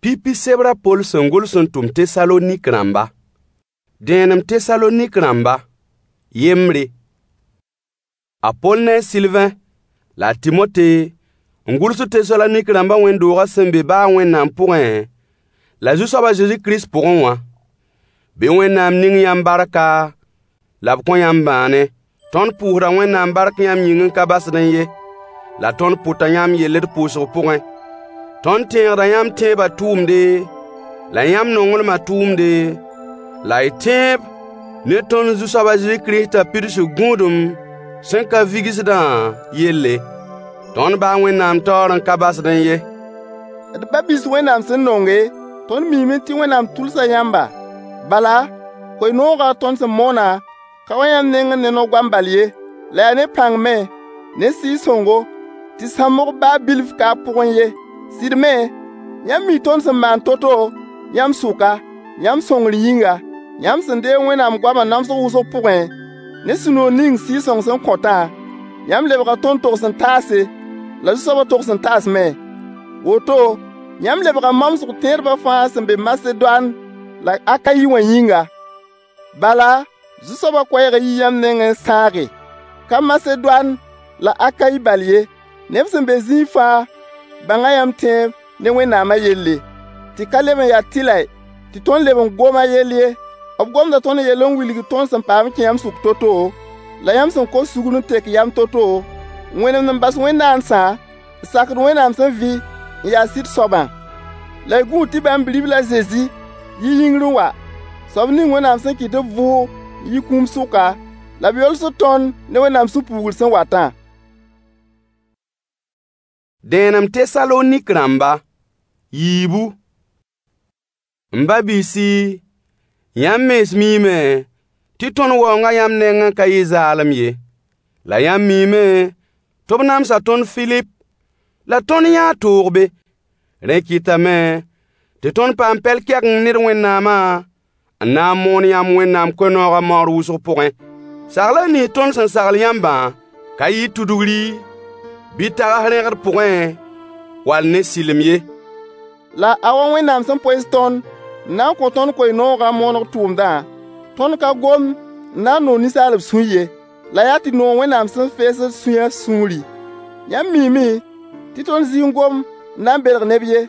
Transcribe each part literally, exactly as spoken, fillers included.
Pipi sebr a Poll sẽn gʋls n tʋm Tesalonik rãmba. Dẽenem Tesalonik rãmba, yembre. A Poll ne a Sɩlvẽ la a Tɩmote n gʋlsd Tesalonik rãmbã wẽnd-doogã sẽn be baa Wẽnnaam pʋgẽ la Zu-soab a Zezi Kirist pʋgẽ wã. Bɩ Wẽnnaam ning yãmb barka la b kõ yãmb bãane. Tõnd pʋʋsda Wẽnnaam bark yãmb yĩng n ka basdẽ ye, la tõnd pʋta yãmb yell d pʋʋsg pʋgẽ. Tõnd tẽegda yãmb tẽebã tʋʋmde, la yãmb nonglmã tʋʋmde, la y tẽeb ne tõnd Zu-soab a Zezi Kiristã pidsg gũudum sẽn ka vigsdã yelle. Tõnd baa Wẽnnaam taoor n ka basdẽ ye. D ba-biis Wẽnnaam sẽn nonge, tõnd miime tɩ Wẽnnaam tʋlsa yãmba. Bala, koe-noogã tõnd sẽn moonã ka wa yãmb nengẽ ne no-goam bal ye, la yaa ne pãng me, ne Sɩɩg-sõngo, tɩ sãmbg baa bilf ka a pʋgẽ ye. Sɩd me, yãmb mii tõnd sẽn maan to-to yãmb sʋka, yãmb sõngr yĩnga. Yãmb sẽn deeg Wẽnnaam goamã namsg wʋsg pʋgẽ, ne sũ-noog ning Sɩɩg-sõng sẽn kõtã, yãmb lebga tõnd togs-n-taase, la Zu-soabã togs-n-taas me. Woto, yãmb lebga mamsg tẽedbã fãa sẽn be Masedoan la Akayi wã yĩnga. Bala, Zu-soabã koɛɛgã yii yãmb nengẽ n sãage. Ka Masedoan la Akayi bal ye, neb sẽn be zĩig fãa bãnga yãmb tẽeb ne Wẽnnaamã yelle. Tɩ ka leb n ya tɩlɛ tɩ tõnd leb n gom a yell ye. B gomda tõnd yell n wilg tõnd sẽn paam n kẽ yãmb sʋk to-to, la yãmb sẽn kos sugr n tek yam to-to, n wẽnemd n bas wẽn-naandsã, n sakd Wẽnnaam sẽn vɩ n ya sɩd soabã. La y gũud tɩ bãmb Bi-ribl a Zezi yi yĩngr n wa, soab ning Wẽnnaam sẽn kɩt tɩ b vʋʋg n yi kũum sʋka, la b yolsd tõnd ne Wẽnnaam sũ-puugr sẽn watã. Dẽenem Tesalonik rãmba, yiibu. M ba-biisi, yãmb mens miime tɩ tõnd waoongã yãmb nengẽ ka yɩ zaalem ye. La yãmb miime tɩ b namsa tõnd Filip la tõnd yãa toog be. Rẽ kɩtame tɩ tõnd paam pɛl-kɛgeng ne d Wẽnnaamã n na n moon yãmb Wẽnnaam koe-noogã maoor wʋsg pʋgẽ. Saglã nins tõnd sẽn sagl yãmbã ka yɩ tudgri bɩ tags rẽgd pʋgẽ wall ne sɩlem ye. La a wa Wẽnnaam sẽn poees tõnd n na n kõ tõnd koe-noogã mooneg tʋʋmdã, tõnd ka gomd n na n noog ninsaalb sũy ye, la yaa tɩ noog Wẽnnaam sẽn feesd sũyã sũuri. Yãmb miime tɩ tõnd zɩ n gom n na n belg neb ye,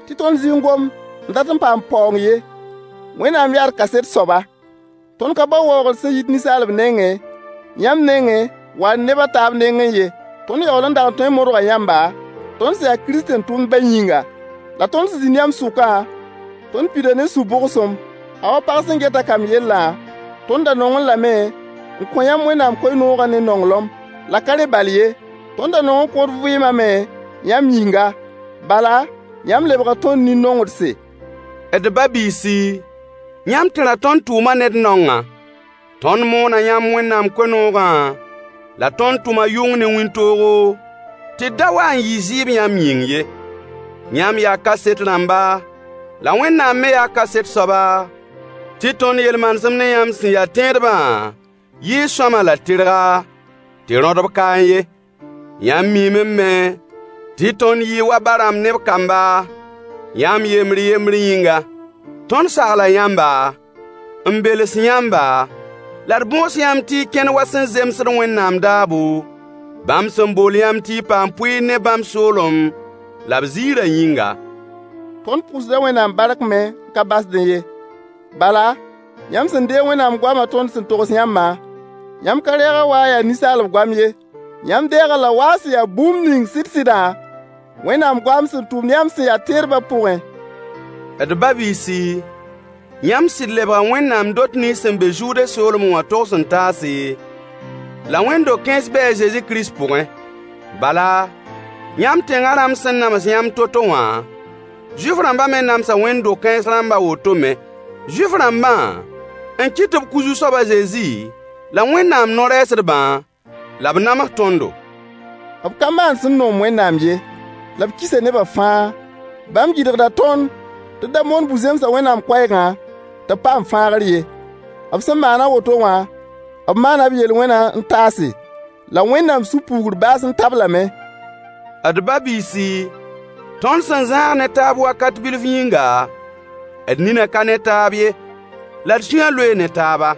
tɩ tõnd zɩ n gom n dat n paam paoong ye. Wẽnnaam yaa d kaset soaba. Tõnd ka bao waoogr sẽn yit ninsaalb nengẽ, yãmb nengẽ wall neb a taab nengẽ ye. Tõnd yaool n dag n tõe n modga yãmba, tõnd sẽn ya Kirist-tẽn-tʋmdbã yĩnga. La tõnd sẽn zĩnd yãmb sʋkã, tõnd pida ne sũ-bogsom. A wa pag sẽn get a kamb yellã, tõnd da nongẽ lame n kõ yãmb Wẽnnaam koe-noogã ne nonglem. La ka rẽ bal ye, tõnd da nong n kõ d vɩɩmã me yãmb yĩnga. Bala, yãmb lebga tõnd nin-nongdse. D ba-biisi, yãmb tẽra tõnd tʋʋmã ne d naongã. Tõnd moona yãmb Wẽnnaam koe-noogã, la tõnd tʋma yʋng ne wĩntoogo, tɩ d da wa n yɩ zɩɩb yãmb yĩng ye. Yãmb yaa kaset rãmba, la Wẽnnaam me yaa kaset soaba, tɩ tõnd yel-manesem ne yãmb sẽn ya tẽedbã yɩɩ sõama la tɩrga, tɩ rõdb kaẽ ye. Yãmb miime me tɩ tõnd yɩɩ wa ba-rãmb ne b kamba, yãmb yembr yembr yĩnga. Tõnd sagla yãmba, n beles yãmba, la d bõos yãmb tɩ y kẽnd wa sẽn zemsd Wẽnnaam daabo, bãmb sẽn bool yãmb tɩ y paam pʋɩɩr ne bãmb soolem la b ziirã yĩnga. Tõnd pʋʋsda Wẽnnaam bark me n ka basdẽ ye. Bala, yãmb sẽn deeg Wẽnnaam goamã tõnd sẽn togs yãmbã, yãmb ka reeg-a wa a yaa ninsaalb goam ye. Yãmb deeg-a la wa a sẽn ya bũmb ning sɩd-sɩdã, Wẽnnaam goam sẽn tʋmd yãmb sẽn ya tẽedbã pʋgẽ. D ba-biisi, yãmb sɩd lebga Wẽnnaam dot nins sẽn be Zude soolmẽ wã togs-n-taase, la wẽnd-do-kãens bɩ a Zezi Kirist pʋgẽ. Bala, yãmb tẽngã rãmb sẽn nams yãmb to-to wã, Zuif-rãmbã me namsa wẽnd-do-kãens rãmb a woto me. Zuif-rãmbã n kɩt tɩ b kʋ Zu-soab a Zezi la Wẽnnaam no-rɛɛsdbã, la b nams tõndo. B ka maan sẽn noom Wẽnnaam ye, la b kisa nebã fãa. Bãmb gɩdgda tõnd tɩ d da moon bu-zẽmsã Wẽnnaam koɛɛgã tɩ b paam fãagr ye. B sẽn maan a woto wã, b maana b yel-wẽnã n taase, la Wẽnnaam sũ-puugr baas n tab lame. D ba-biisi, Tõnd sẽn zãag ne taab wakat bilf yĩnga, d ninã ka ne taab ye, la d sũyã loee ne taaba.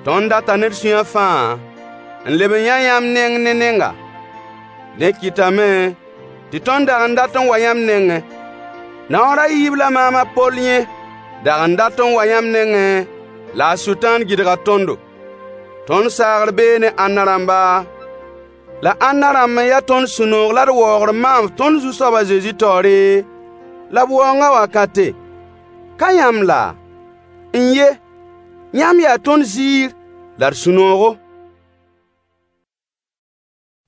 Tõnd data ne d sũyã fãa n leb n yã yãmb neng ne nenga. Dẽ kɩtame tɩ tõnd dag n dat n wa yãmb nengẽ. Naoor a yiib la maam a Poll yẽ dag n dat n wa yãmb nengẽ, la a Sʋtãan gɩdga tõndo. Tõnd saagr bee ne ãnna rãmba, la ãnna rãmb n ya tõnd sũ-noog la d waoogr maam tõnd Zu-soab a Zezi taoore la b waoongã wakate? Ka yãmb laa? N-ye, yãmb yaa tõnd ziir la d sũ-noogo.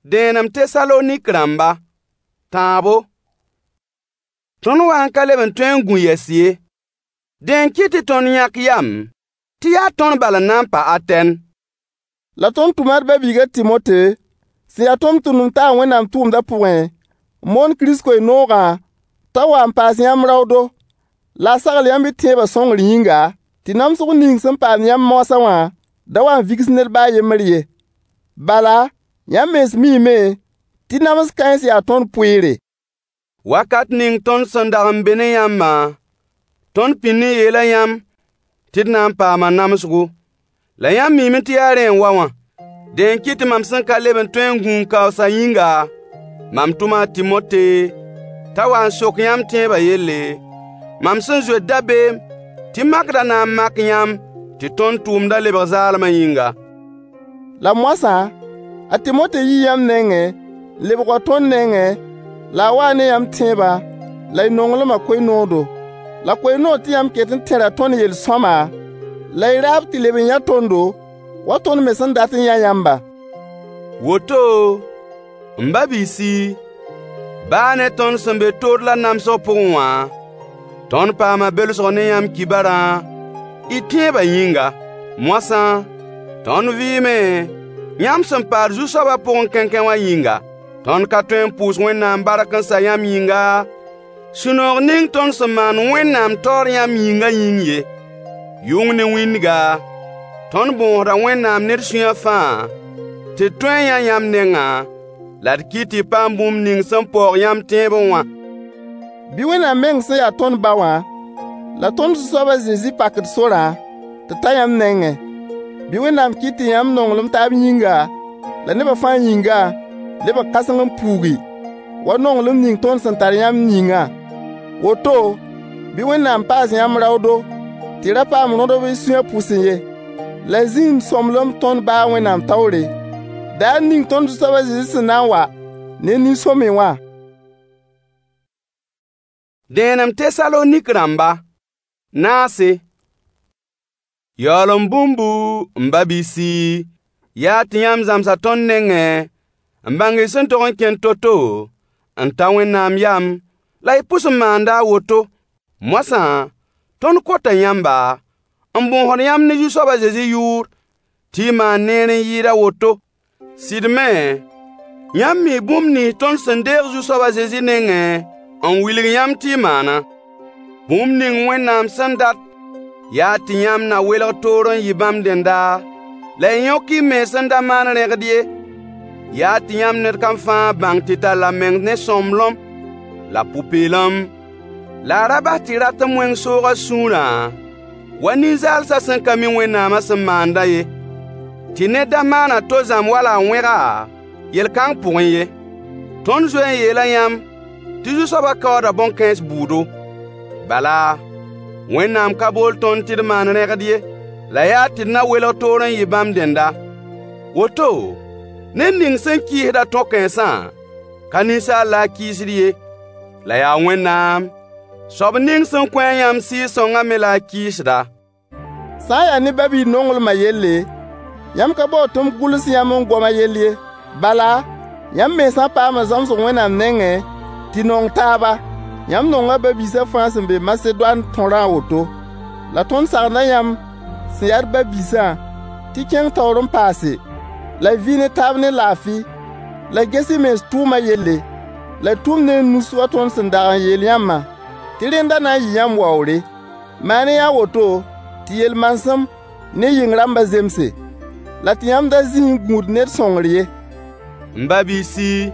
Dẽenem Tesalonik rãmba, tãabo. Tõnd wa n ka leb n tõe n gũ yɛs ye. Dẽ n kɩt tɩ tõnd yãk yam tɩ yaa tõnd bal n na n pa Atɛn. La tõnd tʋma d ba-biig a Tɩmote, sẽn ya tʋmtʋmd-n-taag Wẽnnaam tʋʋmdã pʋgẽ, n moon Kirist koe-noogã, t'a wa n paas yãmb raoodo, la a sagl yãmb y tẽebã sõngr yĩnga, tɩ namsg ning sẽn paam yãmb moasã wã da wa n vigs ned ba a yembr ye. Bala, yãmb mens miime tɩ nams kãens yaa tõnd pʋɩɩre. Wakat ning tõnd sẽn dag n be ne yãmbã, tõnd pĩnd n yeela yãmb tɩ d na n paama namsgo. La yãmb miime tɩ yaa rẽ n wa wã. Dẽ n kɩt tɩ mam sẽn ka leb n tõe n gũ n kaoosã yĩnga, mam tʋma a Tɩmote t'a wa n sok yãmb tẽebã yelle, mam sẽn zoet dabeem tɩ makdã na n mak yãmb tɩ tõnd tʋʋmdã lebg zaalmã yĩnga. La moasã, a Tɩmote yii yãmb nengẽ n lebg wa tõnd nengẽ, la a waa ne yãmb tẽebã la y nonglmã koe-noodo. La koe-noog tɩ yãmb ket n tẽra tõnd yel-sõama, la y raab tɩ leb n yã tõndo, wa tõnd me sẽn dat n yã yãmbã. Woto, m ba-biisi, baa ne tõnd sẽn be toor la namsg pʋgẽ wã, tõnd paama belsg ne yãmb kibarã, y tẽebã yĩnga. Moasã, tõnd vɩɩme, yãmb sẽn paad Zu-soabã pʋgẽ kẽnkẽ wã yĩnga. Tõnd ka tõe n pʋʋs Wẽnnaam bark n sa yãmb yĩnga, sũ-noog ning tõnd sẽn maan Wẽnnaam taoor yãmb yĩngã yĩng ye. Yʋng ne wĩndga, tõnd bõosda Wẽnnaam ne d sũyã fãa tɩ d tõe n yã yãmb nengã, la d kɩt tɩ y paam bũmb ning sẽn paoog yãmb tẽebẽ wã. Bɩ Wẽnnaam meng sẽn ya tõnd ba wã, la tõnd Zu-soab a Zezi pak d sorã tɩ d ta yãmb nengẽ. Bɩ Wẽnnaam kɩt tɩ yãmb nonglem taab yĩnga, la nebã fãa yĩnga, lebg kãseng n puugi, wa nonglem ning tõnd sẽn tar yãmb yĩngã. Woto, bɩ Wẽnnaam paas yãmb raoodo tɩ y ra paam rõdb y sũyã pʋsẽ ye, la y zĩnd sõmblem tõnd ba a Wẽnnaam taoore, daar ning tõnd Zu-soab a Zezi sẽn na n wa ne nin-sõamy wã. Dẽenem Tesalonik rãmba, naase. Yaool n bũmbu, m ba-biisi, yaa tɩ yãmb zãmsa tõnd nengẽ n bãng y sẽn tog n kẽnd to-to n ta Wẽnnaam yam, la y pʋs n maanda a woto. Moasã, tõnd kota yãmba, n bõosd yãmb ne Zu-soab a Zezi yʋʋr, tɩ y maan neer n yɩɩd a woto. Sɩd me, yãmb mii bũmb nins tõnd sẽn deeg Zu-soab a Zezi nengẽ n wilg yãmb tɩ y maana. Bũmb ning Wẽnnaam sẽn dat yaa tɩ yãmb na welg toor n yɩ bãmb dẽnda, la y yõk y mens n da maan rẽgd ye. Yaa tɩ yãmb ned kam fãa bãng tɩ tall a meng ne sõmblem la pʋ-peelem, la a ra bas tɩ ratem wẽng soog a sũurã wa nin-zaalsã sẽn ka mi Wẽnnaamã sẽn maandã ye. Tɩ ned da maan a to zãmb wala a wẽga yel-kãng pʋgẽ ye. Tõnd zoe n yeela yãmb tɩ Zu-soabã kaooda bõn-kãens bʋʋdo. Bala, Wẽnnaam ka bool tõnd tɩ d maan rẽgd ye, la yaa tɩ d na welg toor n yɩ bãmb dẽnda. Woto, ned ning sẽn kɩɩsd-a tõ-kãensã, ka ninsaal la a kɩɩsd ye, la yaa Wẽnnaam, soab ning sẽn kõ-a yãmb Sɩɩg-sõngã me la a kɩɩsda. Sã n yaa ne ba-biig nonglmã yelle, yãmb ka baood tɩ m gʋls yãmb n gom a yell ye. Bala, yãmb mensã paama zãmsg Wẽnnaam nengẽ tɩ nong taaba. Yãmb nonga ba-biisã fãa sẽn be Masedoan tõrã a woto. La tõnd sagenda yãmb sẽn yaa d ba-biisã tɩ kẽng taoor n paase, la y vɩ ne taab ne laafɩ, la y ges y mens tʋʋmã yelle, la y tʋm ne y nus wa tõnd sẽn dag n yeel yãmbã, tɩ rẽnda na n yɩ yãmb waoore. Maan-y a woto tɩ yel-manesem ne yɩng rãmbã zemse, la tɩ yãmb da zĩ n gũud ned sõngr ye. M ba-biisi,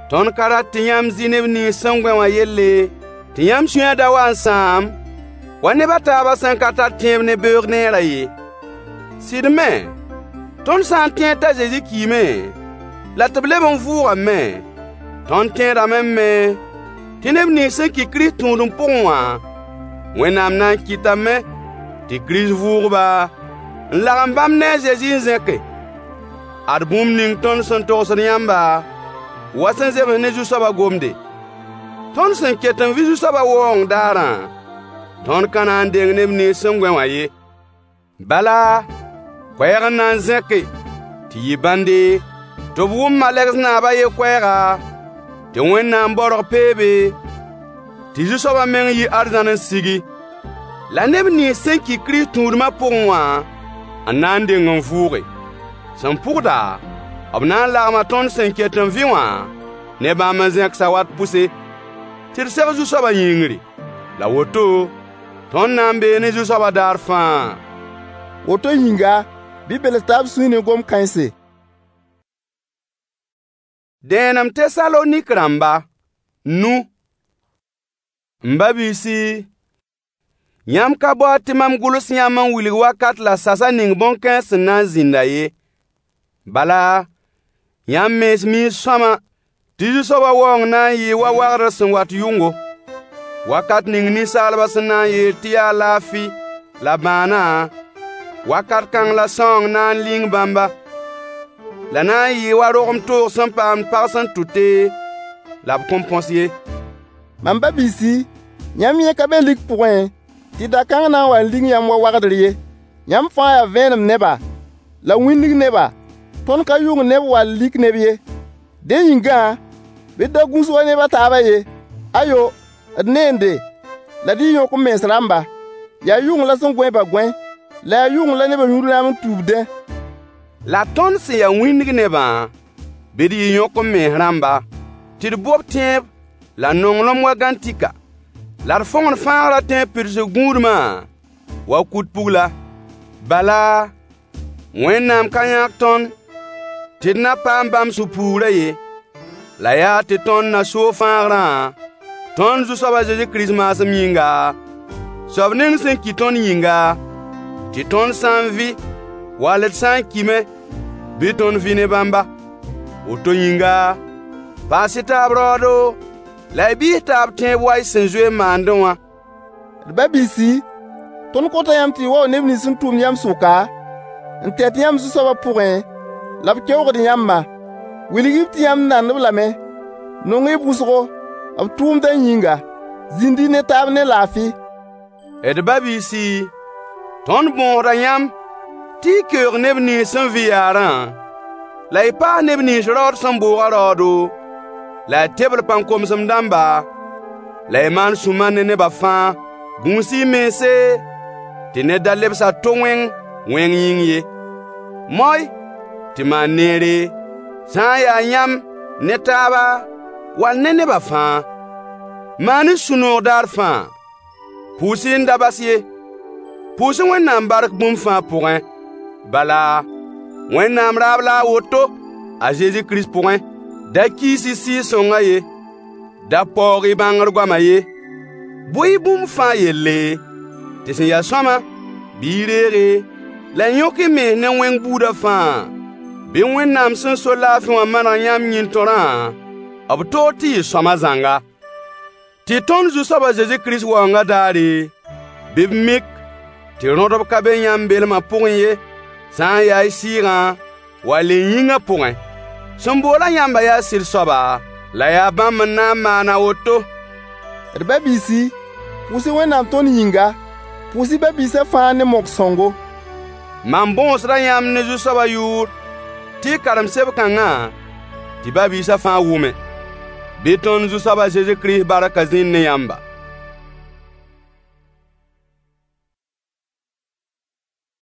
Tõnd ka rat tɩ yãmb zɩ neb nins sẽn gõe wã yelle tɩ yãmb sũyã da wa n sãam, wa neb a taabã sẽn ka tar tẽeb ne beoog neerã ye. Sɩd me, tõnd sã n tẽed t'a Zezi kiime la tɩ b leb n vʋʋgame, tõnd tẽedame me tɩ neb nins sẽn ki Kirist tũudem pʋgẽ wã, Wẽnnaam na n kɩtame tɩ Kirist vʋʋg-ba n lagem bãmb ne a Zezi n zẽke. Ad bũmb ning tõnd sẽn togsd yãmba, wa sẽn zems ne Zu-soabã gomde. Tõnd sẽn ket n vɩ Zu-soabã waoong daarã, tõnd ka na n deng neb nins sẽn gõe wã ye. Bala, koɛɛg n na n zẽke, tɩ yɩ bãnde, tɩ b wʋm malegs naab a yen koɛɛga, tɩ Wẽnnaam baorg peebe, tɩ Zu-soabã meng yi arzãn n sigi. La neb nins sẽn ki Kirist tũudmã pʋgẽ wã n na n deng n vʋʋge. Sẽn pʋgda, b na n lagma tõnd sẽn ket n vɩ wã ne bãmb n zẽk sawat pʋse, tɩ d seg Zu-soabã yĩngri. La woto, tõnd na n bee ne Zu-soabã daar fãa. Woto yĩnga, bɩ y bels taab sũy ne gom-kãense. Dẽenem Tesalonik rãmba, nu. M ba-biisi, yãmb ka baood tɩ mam gʋls yãmb n wilg wakat la sasa ning bõn-kãens sẽn na n zĩnda ye. Bala, yãmb mens mii sõama tɩ Zu-soabã waoong na n yɩɩ wa wagdr sẽn wat yʋngo. Wakat ning ninsaalbã sẽn na n yeel tɩ yaa laafɩ la bãanã, wakat kãng la sãoong na n ling bãmba. La na n yɩɩ wa rogem toog sẽn paamd pag sẽn tʋte, la b kõn põs ye. Mam ba-biisi, yãmb yẽ ka be lik pʋgẽ, tɩ da-kãng na n wa n ling yãmb wa wagdr ye. Yãmb fãa yaa vẽenem neba, la wĩndg neba. Tõnd ka yʋng neb wall lik neb ye. Dẽ yĩngã, bɩ d da gũus wa neb a taabã ye. Ayo, d neende, la d yɩ yõk-m-mens rãmba. Yaa yʋng la sẽn gõe-bã gõe, la yaa yʋng la nebã yũud rãam n tuubdẽ. La tõnd sẽn ya wĩndg nebã, bɩ d yɩ yõk-m-mens rãmba, tɩ d bob tẽeb la nonglem wa gãntika, la d fõgen fãagrã tẽeb pidsg gũudmã wa kut-pugla. Bala, Wẽnnaam ka yãk tõnd tɩ d na paam bãmb sũ-puugrã ye, la yaa tɩ tõnd na soog fãagrã, tõnd Zu-soab a Zezi Kirist maasem yĩnga, soab ning sẽn ki tõnd yĩnga, tɩ tõnd sã n vɩ wall d sã n kime, bɩ tõnd vɩ ne bãmba. Woto yĩnga, paas-y taab raoodo la y bɩɩs taab tẽeb wa y sẽn zoe n maandẽ wã. D ba-biisi, tõnd kota yãmb tɩ y waoog neb nins sẽn tʋmd yãmb sʋka, n tɛt yãmb Zu-soabã pʋgẽ, la b keoogd yãmbã. Wilg-y-b tɩ yãmb nand-b lame. Nong-y b wʋsgo, b tʋʋmdã yĩnga. Zĩnd-y ne taab ne laafɩ. D ba-biisi, tõnd bõosda yãmb tɩ y keoog neb nins sẽn vɩ yaarã, la y paas neb nins raood sẽn booga raoodo, la y tebl pãn-komsem dãmba, la y maan sũ-mar ne neba fãa. Gũus-y y mense tɩ ned da lebs a to wẽng wẽng yĩng ye. Moy tɩ maan neere, sã n ya yãmb ne taaba wall ne neba fãa. Maan-y sũ-noog daar fãa. Pʋʋs-y n da bas ye. Pʋʋs-y Wẽnnaam bark bũmb fãa pʋgẽ. Bala, Wẽnnaam raab la a woto a Zezi Kirist pʋgẽ. Da kiis-y Sɩɩg-sõngã ye. Da paoog-y bãngr goamã ye. Bʋ-y bũmb fãa yelle, tɩ sẽn ya sõama, bɩ y reege, la y yõk y mens ne wẽng buudã fãa. Bɩ Wẽnnaam sẽn so laafɩ wã maneg yãmb yĩn-tõrã b toor tɩ yɩ sõama zãnga. Tɩ tõnd Zu-soab a Zezi Kirist waoongã daare, bɩ b mik tɩ rõdb ka be yãmb belmã pʋgẽ ye, sã n ya y sɩɩgã wall y yĩngã pʋgẽ. Sẽn bool-a yãmbã yaa sɩd soaba, la yaa bãmb n na n maan a woto. D ba-biisi, pʋʋs-y Wẽnnaam tõnd yĩnga. Pʋʋs-y ba-biisã fãa ne mok-sõngo. Mam bõosda yãmb ne Zu-soabã yʋʋr tɩ y karem seb-kãngã tɩ ba-biisã fãa wʋme. Bɩ tõnd Zu-soab a Zezi Kirist barkã zĩnd ne yãmba.